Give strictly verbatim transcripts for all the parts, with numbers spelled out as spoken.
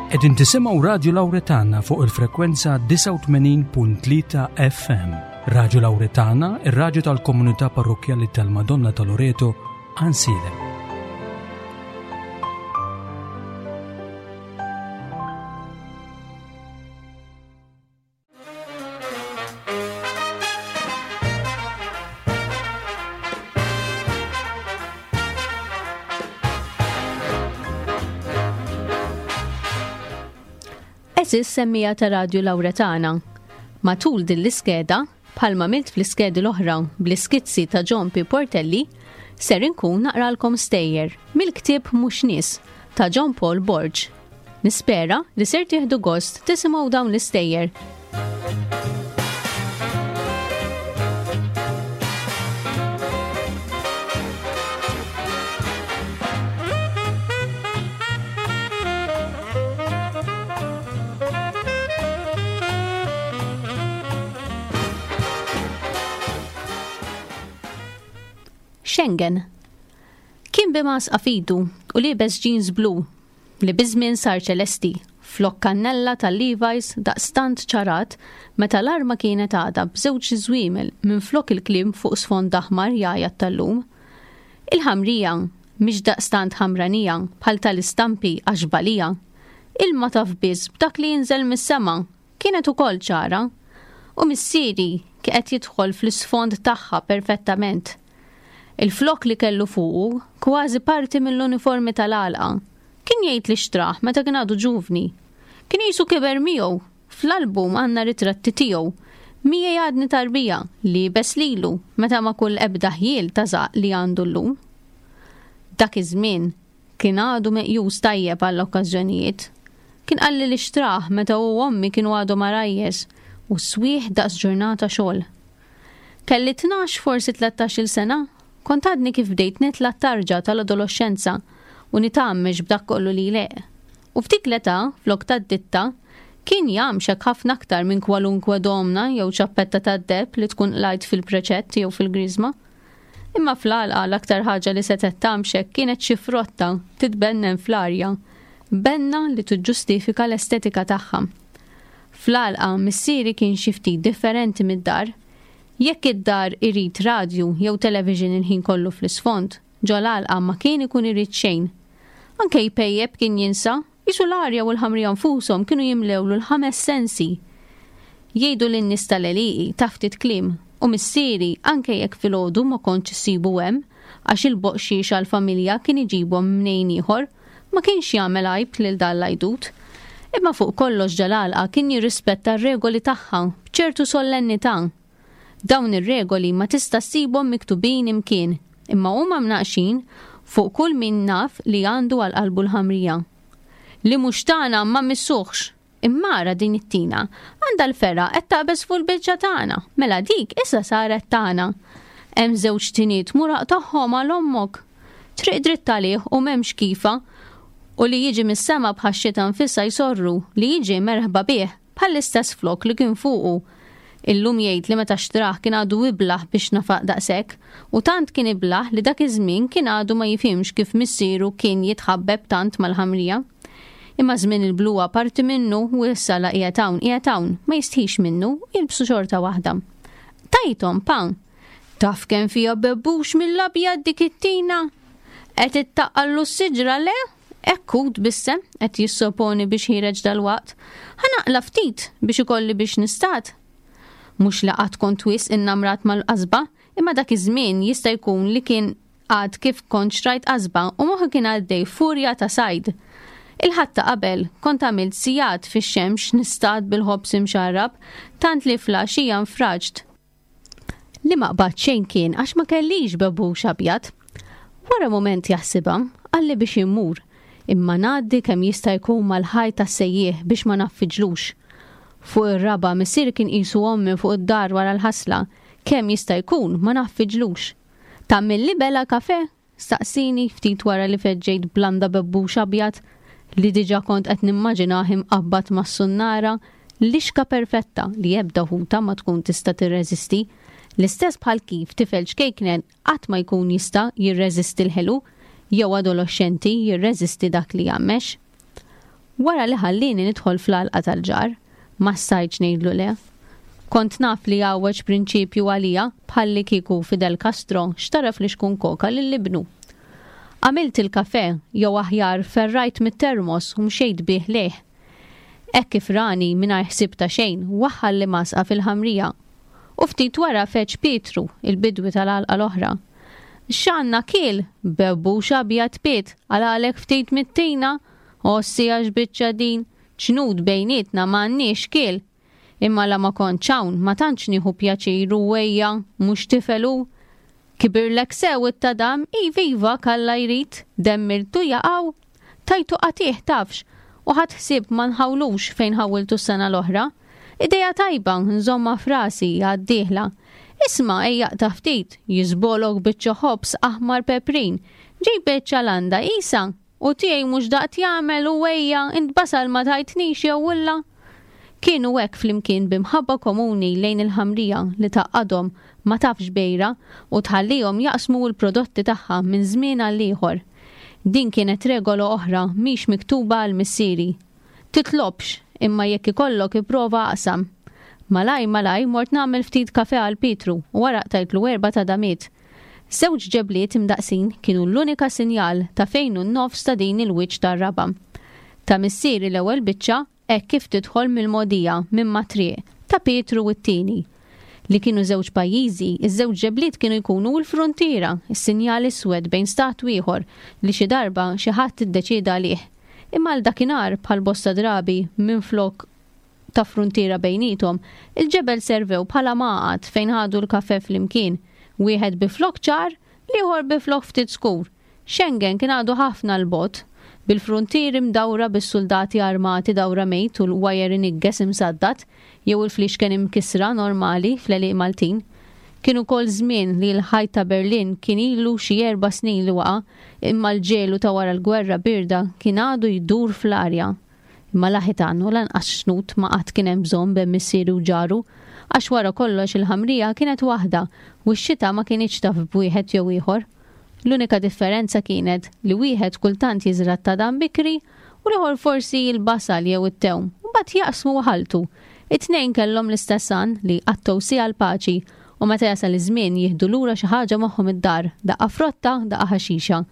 Qegħdin tisimgħu Radju Lawretana fuq il-frekwenza disgħa u tmenin punt tlieta F M. Radju Lawretana, ir-radju tal-komunità parrokkjali tal-Madonna ta' Loreto, Għajnsielem. Eżis semmija ta' Radju Lawretana. Matul din l-iskeda, bħalma milt fl-iskedi l-oħra bl-iskizzi ta' John P. Portelli, ser inkun naqralkom stejjer mill-ktieb Mhux Nies ta' John Paul Borg. Nispera li ser tieħdu gost tisimgħu dawn l-istejjer. Schengen. Kien bimas qafidu u liebes jeans blu li biżmien sar ċelesti, flok kannella tal-Levi's daqstant ċarat meta l-arma kienet għadha b'żewġ żwiemel minn flok il-kliem fuq sfond aħmar jgħajjat tal-lum. Il-ħamrija mhix daqstant ħamranija bħal tal-istampi għax balija. Ilma taf biss b'dak li jinżel mis-sema kienet ukoll ċara u missieri kien qed jidħol fl-isfond tagħha perfettament. Il-flok li kellu fuqu kważi parti mill-uniformi tal-għalqa. Kien jgħid li xtraħ meta kien għadu ġuvni. Kien jisu kiber miegħu. Fl-album għandna ritratti tiegħu. Miegħi għadni tarbija li bes lilu meta ma kull ebda ħjiel ta' żaq li għandu llum. Dak iż-żmien kien għadu meqjus tajjeb għall-okkażjonijiet. Kien qalli li xtraħ meta hu u ommi kienu għadhom għarajjes u swieħ daqs ġurnata xogħol. Kelli tnax forsi tlettax-il sena. Kont għadni kif bdejt nitla' t-tarġa tal-adolescenza u nitgħammex b'dak kollu li jleq. U f'dik l-età, flok tad-ditta, kien jgħamxek ħafna aktar minn kwalunkwe domna jew ċappetta tad-deb li tkun qlajt fil-preċett jew fil-griżma. Imma fl-għalqa l-aktar ħaġa li setgħet tgħamxek kienet xi frotta titbennen fl-arja, benna li tiġġustifika l-estetika tagħha. Fl-għalqa missieri kien xi ftit differenti mid-dar. Jekk id-dar irid radju jew television il-ħin kollu fl-isfond, ġol-għalqa ma kien ikun irid xejn. Anke jpejjeb kien jinsa, jisu l-arja u l-ħamrija nfushom kienu jimlewlu l-ħames sensi. Jgħidu lin-nies tal-għelieqi ta' ftit kliem u missieri anke jekk filgħodu ma kontx issibu hemm għax il-boqxiex għall-familja kien iġibhom mnejn ieħor, ma kienx jagħmel għajb lil dan l-għajdut. Imma fuq kollox ġal-għalqa kien jirrispetta r-regoli tagħha b'ċertu solennità. Dawn ir-regoli ma tista' ssibhom miktubin imkien, imma huma mnaqxin fuq kull min naf li għandu għal qalbu l-ħamrija. Li mhux tagħna ma missuħx, imma ara din it-tina, għandha l-ferra qed taqbeż fuq il-biċċa tagħna, mela dik issa saret tagħna. Hemm żewġ tiniet muraq tagħhom għal ommok. Triq dritt għalih u m'hemmx kifa, u li jiġi mis-sema bħax-xita nfisha jsorru li jiġi merħba bih bħall-istess flok li kien fuqu. Illum jgħid li meta xtraħ kien għadu iblaħ biex nafaq daqshekk, u tant kien iblaħ li dak iż-żmien kien għadu ma jifhimx kif missieru kien jitħabbeb tant mal-ħamrija. Imma żmien il-bluwa parti minnu u issa la qiegħed hawn, qiegħed hawn, ma jistħix minnu u jilbsu xorta waħda. Tajthom pan. Taf kemm fiha bebbux mill-abjad dik it-tina? Qed ittaqqallu s-siġra le? Ekku tbissem qed jissoponi biex ħireġ dal-waqt. Ħa naqla ftit biex ikolli biex nistat. Mhux li qatt kont wisq innamrat mal-qasba, imma dak iż-żmien jista' jkun li kien għad kif kont xtrajt qasba u moħħi kien għaddej furja ta' sajd. Il-ħadd ta' qabel kont għamilt sigħat fix-xemx nistad bil-ħobż imxarrab, tant li flaxija nfraġt. Li ma qbad xejn kien għax ma kellix bebbux abjad. Wara moment jaħsibha, qalli biex immur, imma ngħaddi kemm jista' jkun mal-ħajt tas-sejjieħ biex ma naffiġlux. Fuq ir-raba' missier kien qisu ommi fuq id-dar wara l-ħasla, kemm jista' jkun ma naffiġlux. Tagħmilli bela kafe? Staqsini ftit wara li feġġejt blanda bebbux abjad li diġà kont qed nimmaġinah imqabbad mas-sunnara, lixka perfetta li ebda ħuta ma tkun tista' tirreżisti. L-istess bħal kif tifel ċkejknen qatt ma jkun jista' jirreżisti l-ħelu jew adolescenti jirreżisti dak li jgħammex. Wara li ħallieni nidħol fl-għalqa tal-ġar, ma stajtx ngħidlu le. Kont naf li għawweġ prinċipju għalija bħalli kieku Fidel Castro xtara flixkun koka lil ibnu. Għamilt il-kafe jew aħjar ferrajt mit-termos u mxejt bih lejh. Hekk kif rani mingħajr ħsieb ta' xejn waħħal li masqa fil-ħamrija. U ftit wara feġ Pietru, il-bidwi tal-għalqa l-oħra. X'għandna kiel? Bebbux abjad piet, għalalek ftit mit-tina, ossi għax biċċa din, ċnud bejnietna m'għandniex kiel. Imma la ma kontx hawn ma tantx nieħu pjaċir u ejja, mhux tifel hu. Kibirlek sew it-tadam, iva iva kalla jrid, demmirtu jaqaw. Tajtu qatih tafx, u ħadd ħsieb ma nħawlux fejn ħawiltu s-sena l-oħra. Ideja tajba, nżomma frasi għad-dieħla. Isma' ejja aqta' ftit, jiżbolok biċċa ħobż aħmar peprin. Ġib biċċa landa isa, u tiegħi mhux daqt jagħmel u ejja int basal ma tajtnix jew ulla. Kienu hekk flimkien b'imħabba komuni lejn il-ħamrija li tgħaqqadhom ma tafx bejra u tħallihom jaqsmu l-prodotti tagħha minn żmien għal ieħor. Din kienet regola oħra mhix miktuba għal missieri. Titlobx, imma jekk ikollok ipprova aqsam. Malaj malaj mort nagħmel ftit kafe għal Pietru u wara qtajtlu erba' tadamiet. Żewġ ġebliet imdaqsin kienu l-unika sinjal ta' fejn hu n-nofs ta' din il-wiċċ tar-raba'. Ta' missieri l-ewwel biċċa hekk kif tidħol mill-mogħdija minn mat-triq ta' Pietru u t-tieni. Li kienu żewġ pajjiżi, iż-żewġ ġebliet kienu jkunu l-fruntiera, is-sinjal iswed bejn stat u ieħor li xi darba xi ħadd iddeċieda għalih. Imma għal dakinhar bħal bosta drabi minflok ta' fruntiera bejnietom, il-ġebel servew bħala maqgħad fejn ħadu l-kafe flimkien, wieħed bi flok ċar, l-ieħor bi flok ftit skur. Schengen kien għadu ħafna 'l bogħod, bil-fruntieri mdawra bis-soldati armati dawra mejt u l-wajer inigges imsaddad jew il-flixken imkisra normali fl-għelieq Maltin. Kien ukoll żmien li l-ħajt ta' Berlin kien ilu xi erba' snin li waqa', imma l-ġelu ta' wara l-gwerra birda kien għadu jdur fl-arja. Imma la ħitan u lanqas xnut ma qatt kien hemm bżonn bejn missieri u ġaru, għax wara kollox il-ħamrija kienet waħda u x-xita ma kinitx taf b'wieħed jew ieħor. L-unika differenza kienet li wieħed kultant jiżra' t-tadam bikri u l-ieħor forsi l-basal jew it-tewm, u mbagħad jaqsmu u ħaltu. It-tnejn kellhom l-istess għan li jqattgħu siegħa l-paċi u meta jasal iż-żmien jieħdu lura xi ħaġa magħhom id-dar, daqqa frotta, daqqa ħaxixa.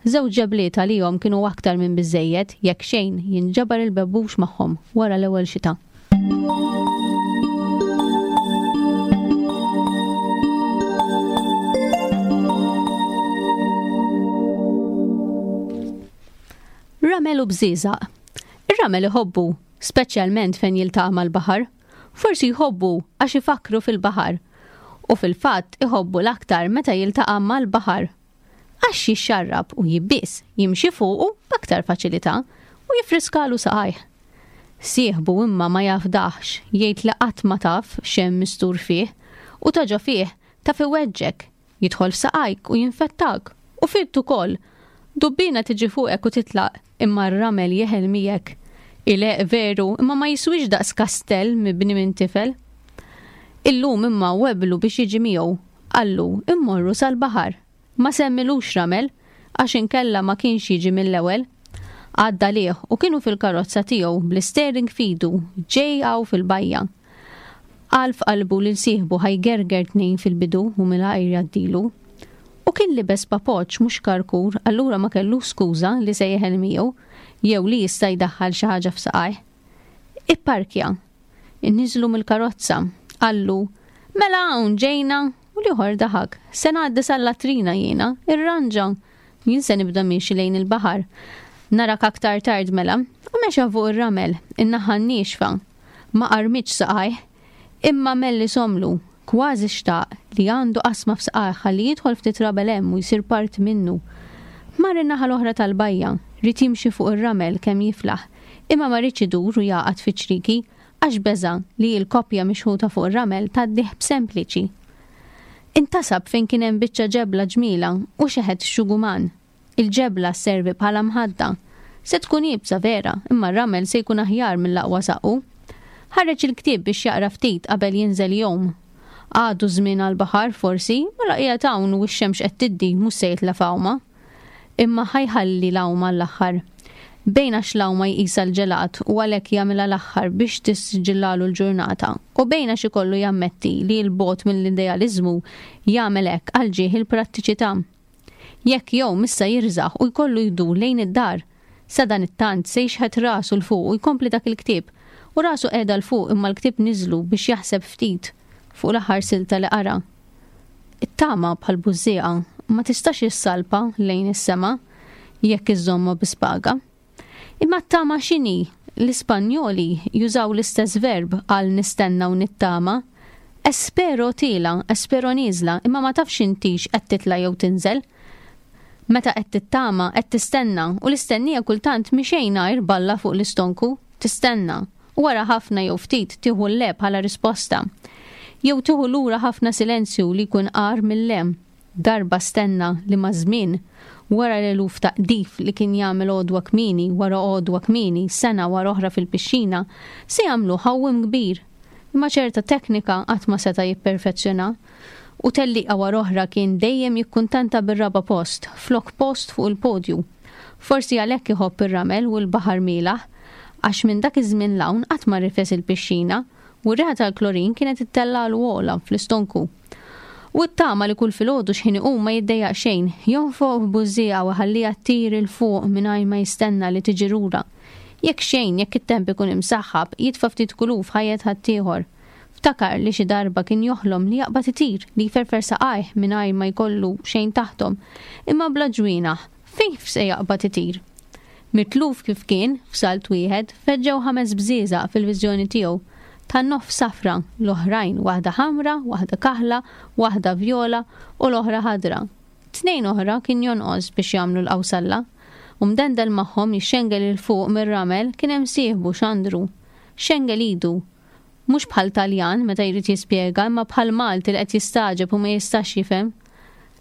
Żewġ ġebliet għalihom kienu aktar minn biżżejjed jekk xejn jinġabar il-bebbux magħhom wara l-ewwel xita. Ramel u bżieżaq. Ir-ramel iħobbu, speċjalment fejn jiltaqa' mal-baħar. Forsi jħobbu għax ifakru fil-baħar. U fil-fatt iħobbu l-aktar meta jiltaqa' mal-baħar. Għax jixxarrab u jibbies, jimxi fuqu b'aktar faċilità u jifriskalu saqajh. Sieħbu imma ma jafdaħx, jgħid li qatt ma taf x'hemm mistur fih u ta' ġo fih taf iweġġek, jidħol f'saqajk u jinfettak u fitt ukoll. Dubbina tiġi fuqek u titlaq, imma r-ramel jeħel miegħek. Ileq veru, imma ma jiswix daqs kastell mibni minn tifel. Illum imma weblu biex jiġi miegħu, qallu immorru sal-baħar. Ma semmilux ramel, għax inkella ma kienx jiġi mill-ewwel. Għadda lih u kienu fil-karozza tiegħu bl-istering fidu ġej hawn fil-bajja. Qal f'qalbu lil sieħbu ħajgerger tnejn fil-bidu u mingħajr jgħaddilu. U kien libes papoċ mhux karkur, allura ma kellux skuża li se jeħel miegħu jew li jista' jdaħħal xi ħaġa f'saqajh. Ipparkja. Inniżlu mill-karozza. Qallu, mela hawn ġejna, u l-ieħor daħak. Se ngħaddi sal-latrina jiena, irranġa. Jien se nibda miexi lejn il-baħar. Narak aktar tard mela, u mexa fuq ir-ramel, in-naħa n-niexfa. Ma qarmitx saqajh, imma melli somlu, kważi xtaq li għandu qasma f'saqajh ħalli jidħol ftit rabel hemm u jsir parti minnu. Mar in-naħa l-oħra tal-bajja, ried jimxi fuq ir-ramel kemm jiflaħ, imma ma riedx idur u jaqgħad fi ċriki għax beża' li l-koppja mixħuta fuq ir-ramel tgħaddih b'sempliċi. Intasab fejn kien hemm biċċa ġebla ġmiela u xeħet xuguman. Il-ġebla sservi bħala mħadda. Se tkun iebsa vera, imma r-ramel se jkun aħjar mill-aqwa saqqu. Ħareġ il-ktieb biex jaqra ftit qabel jinżel jgħum. Għadu żmien għall-baħar forsi, ma la qiegħed hawn u x-xemx qed tiddi mhux se jitlef għawma. Imma ħajħalli l-għawma l-aħħar. Bejn għax l-għawma jqisha l-ġelat u għalhekk jagħmilha l-aħħar biex tissiġillalu l-ġurnata, u bejn għax ikollu jammetti li 'l bogħod mill-idealiżmu jagħmel hekk għal ġieħ il-prattiċità. Jekk jgħum issa jirżaħ u jkollu jdur lejn id-dar. Sadanittant se jixħet rasu 'l fuq u jkompli dak il-ktieb, u rasu qiegħda 'l fuq imma l-ktieb niżlu biex jaħseb ftit fuq l-aħħar silta li qara. It-tama bħal bużżieqa ma tistax issalpa lejn is-sema jekk iżżommha bi spaga. Imma t-tama x'inhi? L-Ispanjoli jużaw l-istess verb għal nistenna u nittama. Espero tiela', espero nieżla, imma ma tafx intix qed titla' jew tinżel. Meta qed tittama, qed tistenna, u l-istennija kultant mhi xejn għajr balla fuq l-istonku, tistenna. U wara ħafna jew ftit tieħu le bħala risposta. Jew tieħu lura ħafna silenzju li jkun agħar mill-le. Darba stenna li maż-żmien, wara l-eluf ta' qdif li kien jagħmel għodwa kmieni wara għodwa kmieni, sena wara oħra fil-pixxina, se jagħmlu ħawwim kbir. Imma ċerta teknika qatt ma seta' jipperfezzjona. U tellieqa wara oħra kien dejjem jikkuntenta bir-raba' post, flok post fuq il-podju. Forsi għalhekk iħobb ir-ramel u l-baħar mielaħ, għax minn dak iż-żmien 'l hawn qatt ma rifes il-pixxina u r-riħa tal-klorin kienet ittellgħalu ogħla fl-istonku. U t-tama li kull filgħodu x'ħin iqum ma jiddejjaq xejn, jonfoq f'bużżieqa u jħalliha ttir 'il fuq mingħajr ma jistenna li tiġi lura. Jekk xejn, jekk it-temp ikun imsaħħab, jitfa' ftit kulur f'ħajjet ħaddieħor. Ftakar li xi darba kien joħlom li jaqbad itir, li jferfer saqajh mingħajr ma jkollu xejn taħthom, imma bla ġwienaħ, fejn se jaqbad itir? Mitluf kif kien, f'salt wieħed, feġġew ħames bżieżaq fil-viżjoni tiegħu. Tan-nofs safra, l-oħrajn waħda ħamra, waħda kaħla, waħda vjola u l-oħra ħadra. Tnejn oħra kien jonqos biex jagħmlu l-qawsalla. U mdendel magħhom jixxengel 'il fuq mir-ramel kien hemm sieħbu Xandru. Xengel idu. Mhux bħal Taljan meta jrid jispjega, imma bħal Malti li qed jistagħġeb u ma jistax jifhem.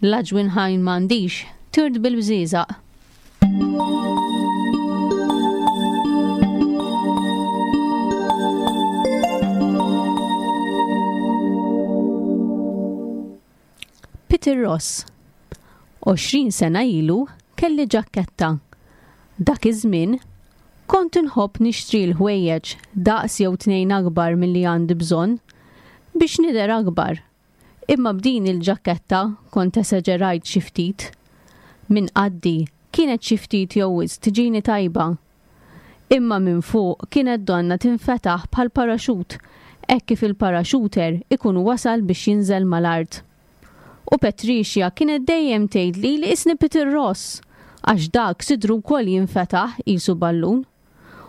L-aġwin ħajn m'għandix, tirt bil-bżieżaq. Peter Ross. Għoxrin sena ilu kelli ġakketta. Dak iż-żmien kont inħobb nixtri l-ħwejjeġ daqs jew tnejn akbar milli għandi bżonn biex nidher akbar. Imma b'din il-ġakketta kont esaġerajt xi ftit. Minn qaddi kienet xi ftit jew wisq tiġini tajba. Imma minn fuq kienet donna tinfetaħ bħal paraxut, hekk kif il-paraxuter ikun wasal biex jinżel mal-art. U Patricia kienet dejjem tgħidli li isni Peter Ross, għax dak sidru wkoll jinfetaħ qisu ballun.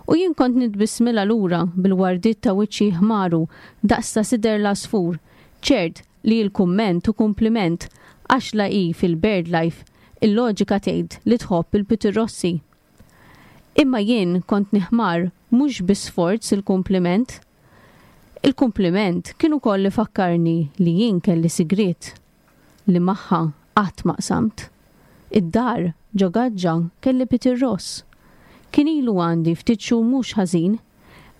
U jien kont nitbissmilha lura bil-wardiet ta' wiċċi ħmaru daqs ta' sider l-għasfur, ċert li l-kumment u kumpliment għax la hi fil-bird life il-loġika tgħid li tħobb il-Peter Rossi. Imma jien kont niħmar mhux bi sforz il-kumpliment. Il-kumpliment kien ukoll ifakkarni li jien kelli sigriet li magħha qatt ma qsamt. Id-dar ġo gaġġa kelli Peter Ross. Kien ilu għandi ftit xhur mhux ħażin,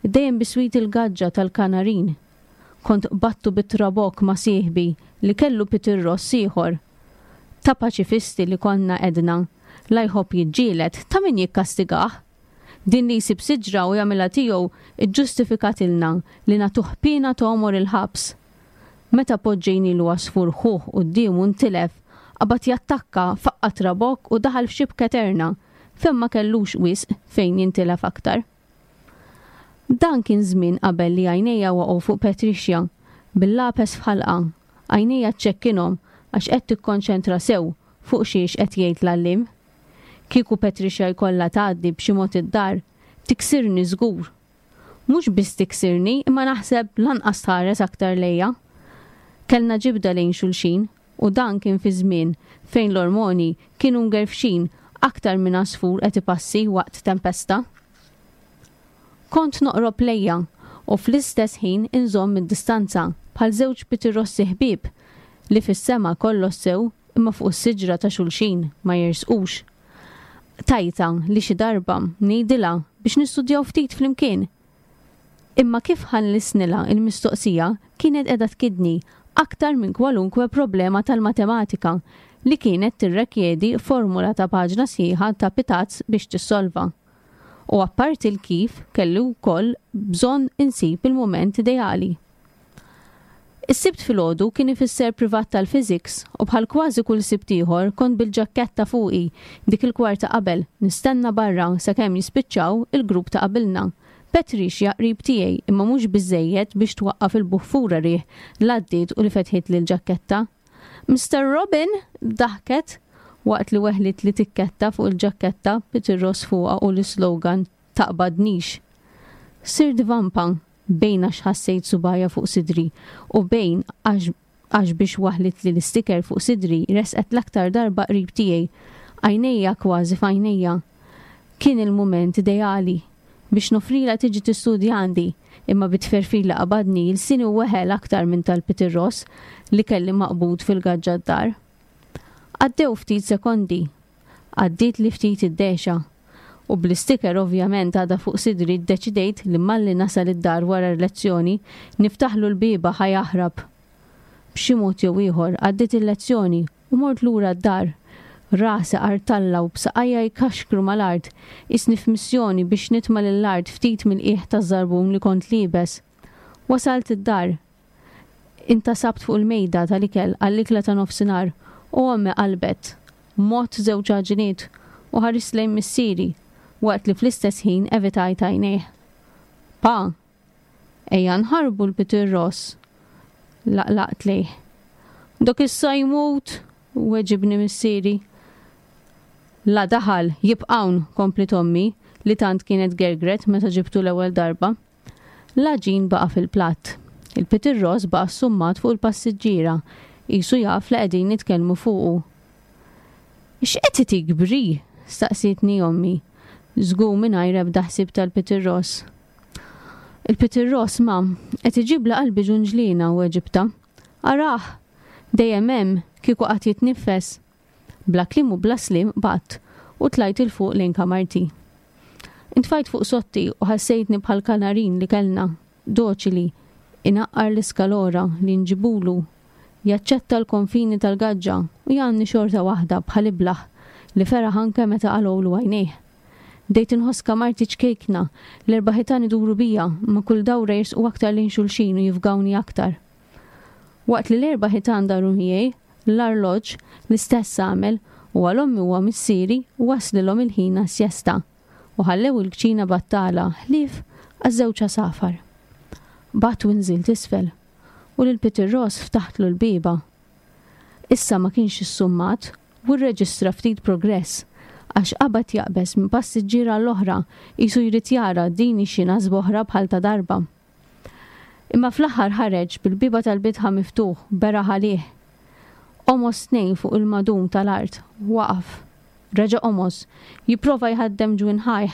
dejjem biswit il-gaġġa tal-kanarin. Kont qbattu bit-trabok ma' sieħbi li kellu Peter Ross ieħor. Ta' paċifisti li konna edna, la jħobb jiġġieled ta' min jikkastigah. Din li jsib siġra u jagħmilha tiegħu iġġustifikatilna li nagħtuh piena tomor il-ħabs. Meta poġġejnilu għasfur ħuh quddiemu ntilef, qabad jattakka faqqa trabok u daħal f'xibka eterna, fejn ma kellux wisq fejn jintilef aktar. Dan kien żmien qabel li għajnejja waqgħu fuq Patricia, bil-lapes f'ħalqa, għajnejja ċċekkinhom għax qed tikkonċentra sew fuq xiex qed jgħid l-għalliem. Kieku Patricia jkollha tgħaddi b'xi mod id-dar, tiksirni żgur. Mhux biss tiksirni, imma naħseb lanqas tħares aktar lejja. Kellna ġibda lejn xulxin u dan kien fi żmien fejn l-ormoni kienu ngerfxin aktar minn għasfur qed ipassi waqt tempesta. Kont noqrob lejja u fl-istess ħin inżomm id-distanza bħal żewġ pitirrossi ħbieb li fis-sema kollox sew imma fuq is-siġra ta' xulxin ma jersqux. Tajta li xi darba ngħidilha biex nistudjaw ftit flimkien. Imma kif ħallisnilha il-mistoqsija kienet qiegħda tkidni aktar minn kwalunkwe problema tal-matematika li kienet tirrekjedi formula ta' paġna sħiħa ta' pitazz biex tissolva. U apparti l-kif kelli wkoll bżonn insib il-mument ideali. Is-Sibt filgħodu kien ifisser privat tal-physics u bħal kważi kull Sibt ieħor kont bil-ġakketta fuqi dik il-kwarta qabel nistenna barra sakemm jispiċċaw il-grupp ta' qabilna. Patricia qrib tiegħi imma mhux biżejjed biex twaqqaf il-buffura riħ l għaddiet u li fetħit lil ġakketta. Mister Robin, daħket waqt li weħlit li tikketta fuq il-ġakketta Peter Ross fuqha u l-slogan taqbadnix. Sir vampa bejn għax ħassejt subgħajha fuq sidri u bejn għax biex waħlit li l-sticker fuq sidri resqet l-aktar darba qrib tiegħi, għajnejja kważi f'għajnejja. Kien il-mument ideali biex nofrila tiġi tistudja għandi, imma bit-tferfir li qabadni lsieni weħel aktar minn tal-Peter Ross li kelli maqbud fil-gaġġa d-dar. Għaddew ftit sekondi, għaddiet li ftit id-dexa, u bl-isticker ovvjament għada fuq sidri ddeċidejt li malli nasal id-dar wara l-lezzjoni niftaħlu l-bieba ħa jaħrab. B'xi mod jew ieħor għaddiet il-lezzjoni u mort lura d-dar. Rasi qartalla u b'saqajja jkaxkru mal-art, qisni f'missjoni biex nitma' lill-art ftit mill-qiegħ taż-żarbun li kont liebes. Wasalt id-dar. Intasabt fuq il-mejda tal-ikel għall-ikla ta' nofsinhar u ommi qalbet. Mott żewġ għaġiniet u ħarist lejn missieri waqt li fl-istess ħin evitajt għajnejh. Pa, ejja nħarbu l-Peter Ross. Laqlaqt lejh. Dok issa jmut, weġibni missieri. La daħal, jibqawn, kompliet ommi, li tant kienet gergret meta ġibtu l-ewwel darba. L-għaġin baqa' fil-platt. Il-Peter Ross baqa' summat fuq il-passiġġiera, qisu jaf li qegħdin nitkellmu fuqu. X'qed itik Bri? Staqsietni ommi. Żgur mingħajr ebda ħsieb tal-Peter Ross. Il-Peter Ross, ma, qed iġibla qalbi ġunġlina u weġibtha. Arah, dejjem hemm kieku qatt jitnifes. Bla kliem u bla slim bat u tlajt 'il fuq lejn kamarti. Intfajt fuq sotti u ħassejtni bħal kanarin li kellna, doċili, inaqqar l-iskalora li nġibulu, jaċċetta l-konfini tal-gaġġa u jgħanni xorta waħda bħal iblaħ li feraħ anke meta qalgħulu għajnejh. Bdejt inħoss kamarti ċkejkna, l-erba' ħitan iduru bija, ma kull dawra jirsqu aktar lejn xulxin u jifgawni aktar. Waqt li l-erba' ħitan daru miegħi, l-arloġġ l-istess għamel u għal ommi u missieri waslilhom il-ħin għas-sjesta u ħallew il-kċina battala ħlief għaż-żewġ għasafar. Bat u nżilt isfel u lil Peter Ross ftaħtlu l-bieba. Issa ma kienx issummat u rreġistra ftit progress għax qabad jaqbeż minn passiġġiera l-oħra qisu jrid jara din xi nasba oħra bħal ta' darba. Imma fl-aħħar ħareġ bil-bieba tal-bitħa miftuħ beraħ għalih. Omos tnejn fuq il-madum tal-art, waqaf. Reġa' omos, jipprova jħaddem ġwinħajh.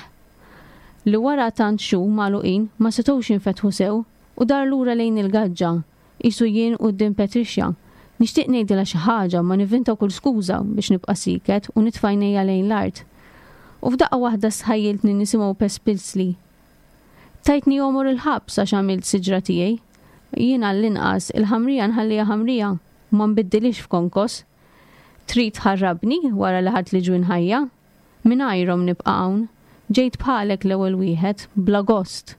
Li wara tant xhur magħluqin ma setgħux jinfetħu sew u dar lura lejn il-gaġġa, qisu jien quddiem Patricia. Nixtieq ngħidilha xi ħaġa ma nivvinta kull skuża biex nibqa' siket u nitfa' għajnejja lejn l-art. U f'daqqa waħda sħajjiltni nisimgħu pespilsli. Tajtni għomor il-ħabs għax għamilt siġra tiegħi. Jien għall-inqas il-ħamrija nħallija ħamrija u ma nbiddilix f'konkos. Trid tħarrabni wara li ħadt li ġwinħajja? Mingħajrhom nibqa' hawn. Ġejt bħalek l-ewwel wieħed, bla gost.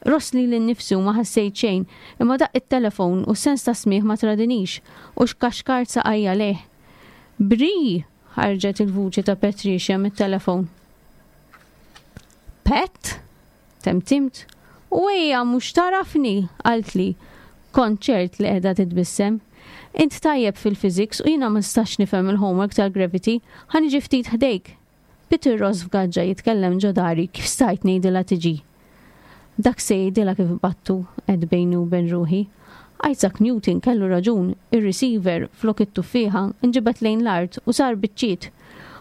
Ross li l-nifsi u ma ħassejt xejn, imma daqq it-telefon u s-sens ta' smigħ ma tradinix u xkaxkart saqajja lejh. Bri! Ħarġet il-vuċi ta' Patricia mit-telefon. Pet? Temtimt. U ejja mhux tarafni, qaltli. Kont ċert li qiegħda titbissem. Int tajjeb fil-physics u jiena ma nistax nifhem il-homework tal-gravity, ħa niġi ftit ħdejk. Peter Ross f'gaġġa jitkellem ġo dari, kif stajt ngħidilha tiġi? Dak se jgħidilha kif battu, għedt bejni u bejn ruħi. Isaac Newton kellu raġun, ir-receiver flok it-tuffieħa nġibet lejn l-art u sar biċċiet.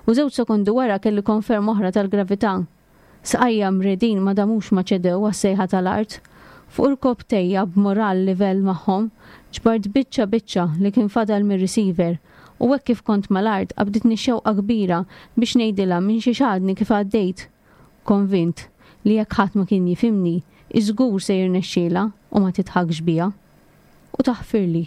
U żewġ sekondi wara kelli konferma oħra tal-gravità. Saqajja mredin ma damux ma ċedew għas-sejħa tal-art. Fuq irkopptejja b'moral livell magħhom, ġbart biċċa biċċa li kien fadal mir-receiver u hekk kif kont mal-art qabditni xewqa kbira biex ngħidilha minn xi xadni kif għaddejt. Konvint li jekk ħadd ma kien jifhimni, iżgur se jirnexxielha u ma titħakx bija. U taħfirli.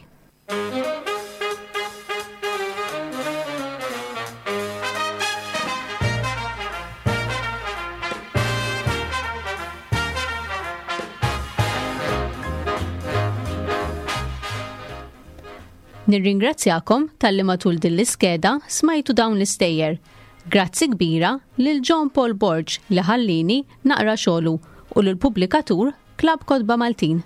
Nirringrazzjakom talli matul din l-iskeda smajtu dawn l-istejjer. Grazzi kbira lil John Paul Borg li ħallini naqra xogħlu u lil pubblikatur Klabb Kotba Maltin.